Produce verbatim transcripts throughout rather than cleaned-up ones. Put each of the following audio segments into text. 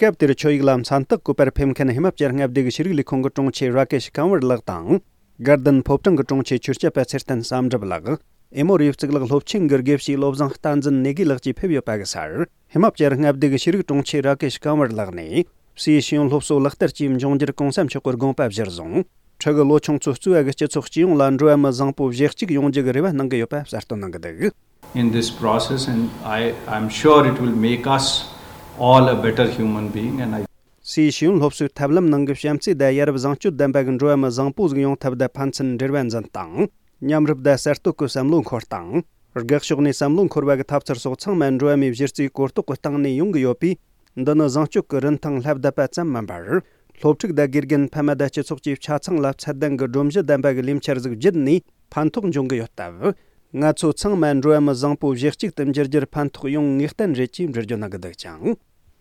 སྐབས་དེར་ཆོད་ཡིག་ལ་མཚན་རྟགས་བཀོད་པར་ཕེབས་མཁན་ཧི་མ་ཅལ་མངའ་སྡེ་གི་ཤེས་རིག་ལས་ཁུངས་ཀྱི་དྲུང་ཆེ་ར་ཀེ་ཤི་ཀང་ཝར་ལགས་དང་། དགའ་ལྡན་ཕོ་བྲང་གི་དྲུང་ཆེ་ཆོས་སྐྱབས་པ་ཚེ་བརྟན་བསམ་གྲུབ་ལགས། ཨེ་མོ་རི་ཡི་གཙུག་ལག་སློབ་ཆེན་གྱི་དགེ་བཤེས་བློ་བཟང་བསྟན་འཛིན་ནེ་གི་ལགས་ཀྱིས་ཕེབས་ཡོད་པ་གི་སར། ཧི་མ་ཅལ་མངའ་སྡེ་གི་ཤེས་རིག་དྲུང་ཆེ་ར་ཀེ་ཤི་ཀང་ཝར་ལགས་ནས། སའི་ཤེས་ཡོན་སློབ་གསོ་ལག་བསྟར་གྱིས་འབྱུང་འགྱུར་གོང་ས་མཆོག་གི་དགོངས་པ་གཞིར་བཟུང་། ཕྲུ་གུ་ལོ་ཆུང་ཚོ་གཙོས་པ་གི་སྤྱི་ཚོགས་སྤྱི་ཡོངས་ལ་འགྲོ་བ་མི་བཟང་པོ་གཞི་གཅིག་ཡོང་རྒྱུ་གི་རེ་བ་གནང་གི་ཡོད་པ་གསལ་སྟོན་གནང་གི་འདུག། In this process, and I, I'm sure it will make us all a better human being, and I སའི་ཤེས་ཡོན་སློབ་གསོའི་ཐབས་ལམ་ནང་གི་བྱམས་བརྩེ་དང་ཡ་རབས་བཟང་སྤྱོད་ལྡན་པ་གི་འགྲོ་བ་མི་བཟང་པོ་ཟིག་ཡོང་ཐབས་དང་ཕན་ཚུན་འབྲེལ་བ་འཛིན་སྟངས། མཉམ་རུབ་དང་གསར་གཏོད་ཀྱི་བསམ་བློ་འཁོར་སྟངས། དགག་ཕྱོགས་ནས་བསམ་བློ་འཁོར་བ་གི་ཐབས་ཚུལ་སོགས་ཚང་མ་འགྲོ་བ་མིའི་གཞི་རྩའི་གོ་རྟོགས་ཀྱི་སྟེང་ནས་ཡོང་གི་ཡོད་པས། འདི་ནི་བཟང་སྤྱོད་ཀྱི་རིན་ཐང་ལྷབ་བསྡད་པ་ཙམ་མིན་པར། སློབ་ཕྲུག་དང་དགེ་རྒན་ཕ་མ་དང་སྤྱི་ཚོགས་ཀྱི་ཆ་ཚང་ལ་ཚད་ལྡན་གྱི་སྒྲོམ་གཞི་ལྡན་པ་གི་ལས་འཆར་ཟིག་བརྒྱུད་ནས་ཕན་ཐོགས་འབྱུང་གི་ཡོད་སྟབས། ང་ཚོ་ཚང་མ་འགྲོ་བ་མི་བཟང་པོ་གཞི་གཅིག་ཏུ་འགྱུར་རྒྱུར་ཕན་ཐོགས་ཡོང་ངེས་གཏན་རེད་ཅེས་འགྲེལ་བརྗོད་གནང་གི་འདུག་ཅིང་།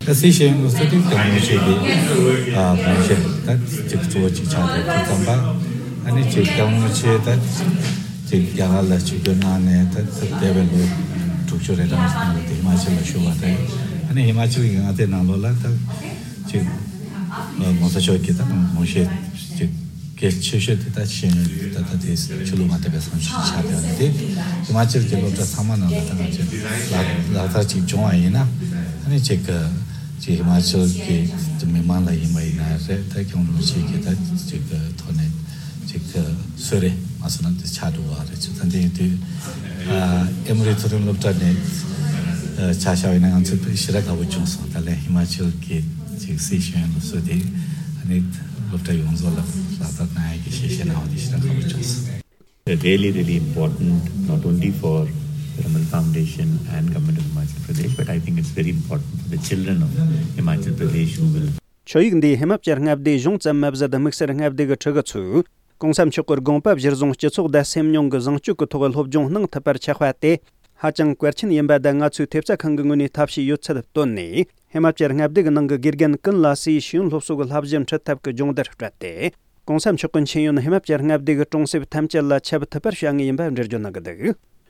ད་སའི་ཤེས་ཡོན་སློབ་གསོ་དེ་སྐྱབས་མགོན་ཆེན་གྱི་ཨ་དགོངས་བཞེད་ད་ཅིག་གཙོ་བོ་ཅིག་ཆགས་ཏེ་དེ་ཙམ་པ། ཨ་ནི་ཅིག་སྐྱབས་མགོན་ཆེན་ད་ཅིག་རྒྱ་གར་ལ་ཆིབས་བསྒྱུར་གནང་ནས་ད་ད་འདས་པའི་ལོ་དྲུག་ཅུ་རེ་གྲངས་ནང་ལ་དེ་ཧི་མ་ཅལ་ལ་བཞུགས་པ་རེད། ཨ་ནི་ཧི་མ་ཅལ་གྱི་མངའ་སྡེ་ནང་ལོགས་ལ་ད་ཅིག་༸གོང་ས་མཆོག་གི་ད་དགོངས་བཞེད་ཅིག་གལ་ཆེ་ཤོས་དེ་ད་ཤེས་ཡོན་ད་ལྟ་དེ་ཆོས་ལུགས་མ་དད་པའི་བསམ་ཤེས་ཆགས་ཡོད་ནི་དེ། ཧི་མ་ཅལ་གྱི་སློབ་གྲྭ་ཚང་མ་ནང་ལ་ད་ང་ཚོས་ལག་ལག་བསྟར་ཅིག་བྱུང་བ་ཡིན་ན། ཨ་ནི་ཅིག་ཅིག་ཧི་མ་ཅལ་གྱི་མི་མང་ལ་ཡིན་པ་ཡིན་ན་རེད། ད་སྐྱབས་མགོན་རིན་པོ་ཆེ་གི་ད་ཅིག་ཐོག་ནས་ཅིག་གསོལ་རས་མ་སོང་ན་དེ་ཆགས་འགྲོ་བ་རེད། ཅིག་ད་འདི་དུས་ཨེ་མོ་རི་མཐོ་རིམ་སློབ་གྲྭ་ནས་ཆ་བཞག་པ་ཡིན་ན་ང་ཚོས་ཞེ་དྲག་དགའ་པོ་བྱུང་སོང་། ད་ལན་ཧི་མ་ཅལ་གྱི་ཅིག་སའི་ཤེས་ཡོན་སློབ་གསོ་དེ་ཨ་ནི་སློབ་གྲྭ་ཡོངས་རྫོགས་ལ་ལག་བསྟར་གནང་ཡག་གི་ཞལ་བཞེས་གནང་བ་དེ་ཞེ་དྲག་དགའ་པོ་བྱུང་སོང་། Really, really important not only for the Raman Foundation and Government of Himachal Pradesh, but I think it's very important for the children of Himachal Pradesh who will ཆོད་ཡིག་འདིས་ཧི་མ་ཅལ་མངའ་སྡེ་གཞུང་ཙམ་མ་ཟད་དམིགས་བསལ་མངའ་སྡེ་གི་ཕྲུ་གུ་ཚོས་༸གོང་ས་མཆོག་གི་དགོངས་པ་གཞིར་བཟུང་སྤྱི་ཚོགས་དང་སེམས་མྱོང་གི་བཟང་སྤྱོད་ཀྱི་ཐོག་སློབ་སྦྱོང་གནང་ཐུབ་པར་ཆགས་པ་དེ་ཧ་ཅང་གལ་ཆེན་ཡིན་པ་དང་། ང་ཚོའི་ཐེབས་རྩ་ཁང་གི་ངོས་ནས་ཐབས་ཤེས་ཡོད་ཚད་བཏོན་ནས་ཧི་མ་ཅལ་མངའ་སྡེ་གི་ནང་གི་དགེ་རྒན་ཀུན་ལ་སའི་ཤེས་ཡོན་སློབ་གསོ་གི་བསླབ་གཞི་འཁྲིད་ཐབས་ཀྱི་སྦྱོང་བརྡར་སྤྲད་དེ། ༸གོང་ས་མཆོག་གི་མཁྱེན་ཡོན་ཧི་མ་ཅལ་མངའ་སྡེ་གི་གྲོང་གསེབ་ཐམས་ཅད་ལ་ཁྱབ་ཐུབ་པར་བྱ་ངེས་ཡིན་པ་འགྲེལ་བརྗོད་གནང་གི་འདུག།